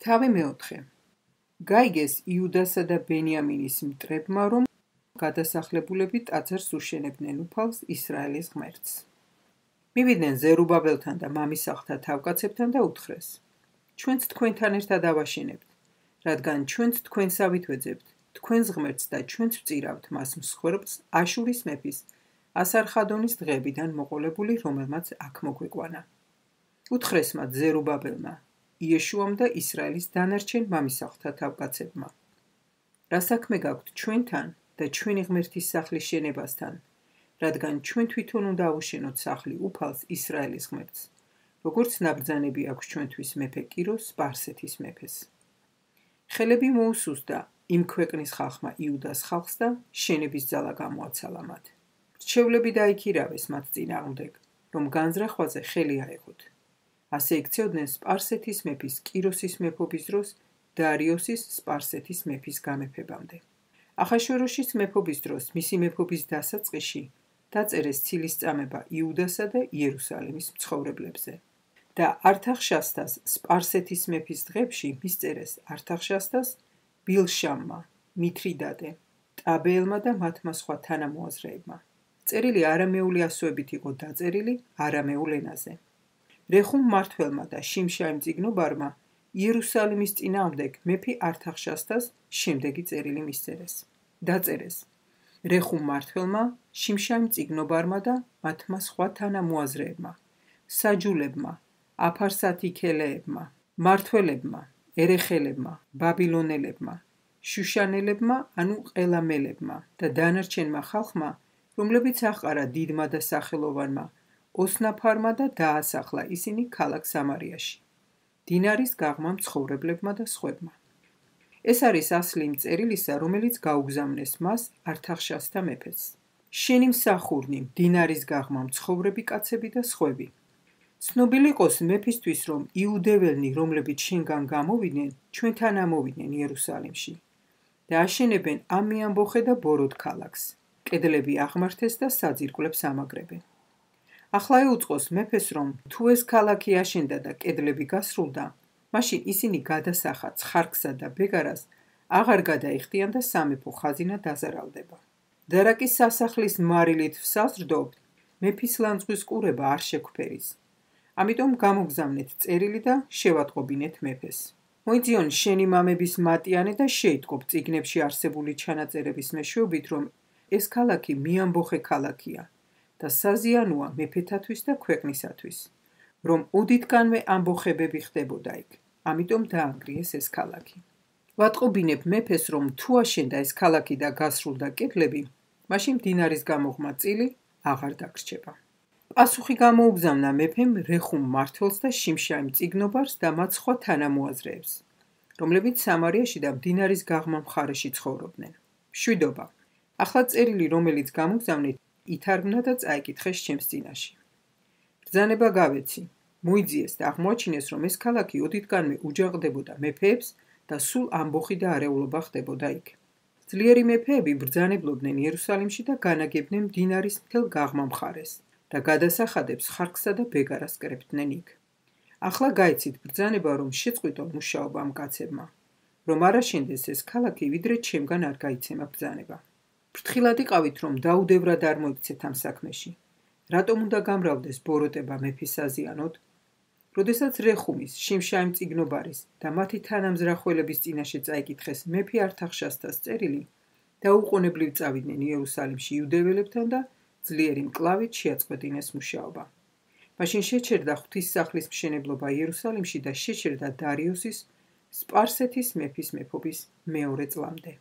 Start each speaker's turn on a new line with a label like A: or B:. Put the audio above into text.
A: თავი მეოთხე. გაიგეს იუდასა და ბენიამინის მტრებმა, რომ გადასახლებულები ტაძარს უშენებდნენ უფალს ისრაელის ღმერთს. მივიდნენ ზერუბაბელთან და მამისაღთა თავკაცებთან და უთხრეს: ჩვენც თქვენთან ერთად ავაშენებთ, რადგან ჩვენც თქვენსავით ვეძებთ თქვენს ღმერთს და ჩვენც ვწირავთ მას მსხვერპლს აშურის მეფის ასარხადონის დღეებიდან მოყოლებული, რომელმაც აქ მოგვეკვანა. უთხრეს მათ ზერუბაბელმა, იეშუამ და ისრაელის დანარჩენ მამისაღთა თავკაცებმა: რა საქმე გაქვთ ჩვენთან და ჩვენი ღმერთის სახლის შენებასთან, რადგან ჩვენ თვითონ უნდა ავუშენოთ სახლი უფალს ისრაელის ღმერთს, როგორც ნაბრძანები აქვს ჩვენთვის მეფე კიროს სპარსეთის მეფეს. ხელები მოუსუსდა იმ ქვეყნის ხალხმა იუდას ხალხს და შენების ძალა გამოაცალა მათ. რჩევლები დაიქირავეს მათ წინააღმდეგ, რომ განზრახვაზე ხელი აეღოთ. ასე იქცეოდნენ სპარსეთის მეფის კიროსის მეფობის დროს დარიოსის სპარსეთის მეფის გამეფებამდე. ახაშვეროშის მეფობის დროს მისი მეფობის დასაწყისში დაწერეს ცილის წამება იუდასა და იერუსალიმის მცხოვრებლებზე და ართახშასტას სპარსეთის მეფის დღეებში მისწერეს ართახშასტას, ბილშამმა, მითრიდატე, ტაბეელმა და მათმა სხვა თანამოაზრეებმა. წერილი არამეული ასოებით იყო დაწერილი არამეულ ენაზე. რეხუმ მმართველმა და შიმშაიმ წიგნობარმა იერუსალიმის წინააღმდეგ მეფე ართახშასტას შემდეგი წერილი მისწერეს. დაწერეს: რეხუმ მმართველმა, შიმშაიმ წიგნობარმა და მათმა სხვა თანამოაზრეებმა, საჯულებმა, აფარსათიქელეებმა, მმართველებმა, ერეხელებმა, ბაბილონელებმა, შუშანელებმა, ანუ ყელამელებმა და დანარჩენმა ხალხმა, რომლებიც აჰყარა დიდმა და სახელოვანმა, ოსნაფარმა და დაასახლა ისინი ქალაქ სამარიაში, დინარის გაღმა მცხოვრებლებმა და სხვებმა. ეს არის ასლი იმ წერილისა, რომელიც გაუგზავნეს მას ართახშასტა მეფეს. შენი მსახურნი, დინარის გაღმა მცხოვრები კაცები და სხვები. ცნობილი იყოს მეფისთვის, რომ იუდეველნი, რომლებიც შენგან გამოვიდნენ, ჩვენთან ამოვიდნენ იერუსალიმში და აშენებენ ამიამბოხე და ბოროდ ქალაქს. კედლები აღმართეს და საძირკვლებს ამაგრებენ. ახლა ეუწყოს მეფეს, რომ თუ ეს ქალაქი აშენდა და კედლები გასრულდა, მაშინ ისინი გადასახა ცხარკსა და ბეგარას აღარ გადაიხდიან და სამეფო ხაზინა დაზარალდება. დარაკის სასახლის მარილით ვსაზრდობთ, მეფის ლანძღვის ყურება არ შეგვფერის. ამიტომ გამოგზავნეთ წერილი და შევატყობინეთ მეფეს. მოიძიონ შენი მამების მატიანე და შეიტყობ წიგნებში არსებული ჩანაწერების მეშვეობით, რომ ეს ქალაქი მიამბოხე ქალაქია და საზიანოა მეფეთათვის და ქვეყნისათვის, რომ უდიდკანვე ამბოხებები ხდებოდა იქ. ამიტომ დაანგრიეს ეს ქალაქი. ვატყობინებ მეფეს, რომ თუ აშენდა ეს ქალაქი და გასრულდა კედლები, მაშინ მდინარის გამოღმა წილი აღარ დაგრჩება. პასუხი გამოუგზავნა მეფემ რეხუმ მმართველს და შიმშაიმ წიგნობარს და მათ სხვა თანამოაზრეებს, რომლებიც სამარიაში და მდინარის გაღმა მხარეში ცხოვრობდნენ. მშვიდობა. ახლა წერილი, რომელიც გამოგზავნეთ, ითარგმნა და წაიკითხეს ჩემს წინაშე. ბრძანება გავეცი. მოიძიეს და აღმოაჩინეს, რომ ეს ქალაქი ოდითგანვე უჯაყდებოდა მეფეებს და სულ ამბოხი და არეულობა ხდებოდა იქ. ძლიერი მეფეები ბრძანებლობდნენ იერუსალიმში და განაგებდნენ მდინარის მთელ გაღმა მხარეს და გადასახადებს ხარკსა და ბეგარას კრებდნენ იქ. ახლა გაიცით ბრძანება, რომ შეწყვიტონ მუშაობა ამ კაცებმა, რომ არ აშენდეს ეს ქალაქი, ვიდრე ჩემგან არ გაიცემა ბრძანება. ფრთხილად იყავით, რომ დაუდევრად არ მოიქცეთ ამ საქმეში. რატომ უნდა გამრავლდეს ბოროტება მეფის საზიანოდ? როდესაც რეხუმის, შიმშაიმ წიგნობარის და მათი თანამზრახველების წინაშე წაიკითხეს მეფე ართახშასტას წერილი, დაუყოვნებლივ წავიდნენ იერუსალიმში იუდეველებთან და ძლიერი მკლავით შეაწყვეტინეს მუშაობა. მაშინ შეჩერდა ღვთისმსახლის მშენებლობა იერუსალიმში და შეჩერდა დარიოსის სპარსეთის მეფის მეფობის მეორე წლამდე.